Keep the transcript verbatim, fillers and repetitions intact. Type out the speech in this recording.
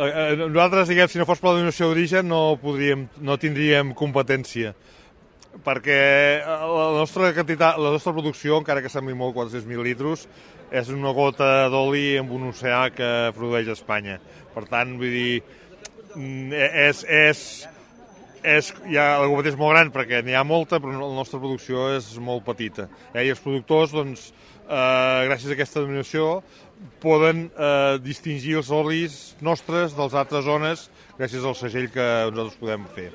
eh, nosaltres, diguem, si no fos per la denominació d'origen no, podríem, no tindríem competència, perquè la nostra quantitat, la nostra producció, encara que sembli molt quatre-cents mil litres, és una gota d'oli en un oceà que produeix Espanya. Per tant, vull dir, és, és, és, ja, la competència és molt gran perquè n'hi ha molta, però la nostra producció és molt petita. Eh? I els productors, doncs, eh, gràcies a aquesta denominació, poden eh, distingir els olis nostres dels altres zones gràcies al segell que nosaltres podem fer.